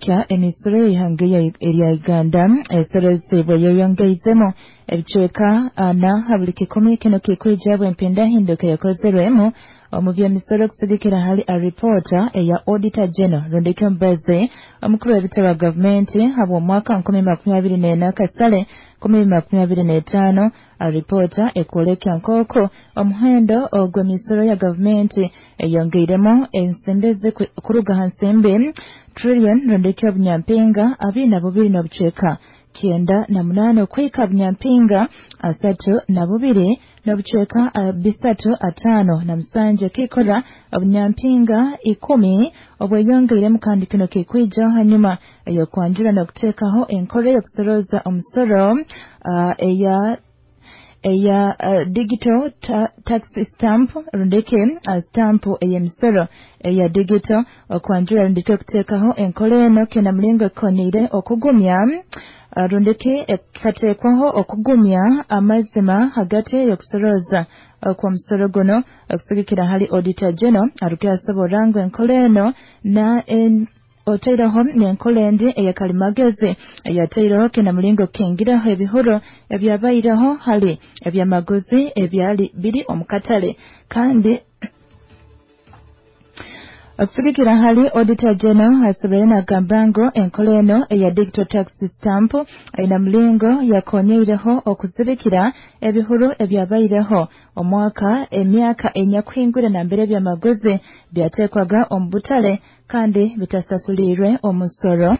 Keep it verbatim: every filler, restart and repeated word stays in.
Kya emisoro y'ihanga erya Uganda esorozibwe yeyongeizemu ebicweka ana ha buli kikumi. Kino kikwija bw'empindahinduka eyakozerwemu omu by'emisoro kusigikira hali alipoota eya Auditor General rundiki omubazi omukuru w'ebitebe wa gavumenti habw'omwaka nkumi makumi abiri n'ena kasale nkumi makumi abiri n'etaano. Alipoota ekwoleka nk'oku omuhendo ogw'emisoro ya gavumenti eyongeiremu ensimbi kuruga ha nsimbi trillion rundiki obunyampinga abiri na bubiri n'obucweka kyenda na munaana okuhika bunyampinga asatu na bubiri n'obucweka bisatu ataano na musanju, ekikora obunyampinga ikumi obweyongeiremu. Kandi kino kikwija hanyuma ey'okwanjura n'okuteekaho enkora ey'okusoroza omusoro uh, eya eya uh, digital ta tax stamp rundiki uh, stamp ey'emisoro eya digital. Okwanjura rundiki okuteekaho enkora eno kina mulingo ekoniire okugumya uh, rundiki ekateekwaho okugumya amazima hagati y'okusoroza okw'omusoro guno. Okusigikira hali Auditor General, arukuyasoborra ngu enkora eno na en, otaireho n'enkora endi eyakalimagezi eyataireho kina mulingo kukingiraho ebihuro ebyabaireho hali ebyamaguzi ebyali biri omu katale. Kandi okusigikira hali Auditor General, asoboire nagamba ngu enkora eno eya digital tax stamp aina mulingo yakonyeireho okuzibikira ebihuro ebyabaireho omwaka emyaka enyakuhingwire nambere ebyamaguzi byateekwaga omu butale kandi bitasasulirwe omusoro.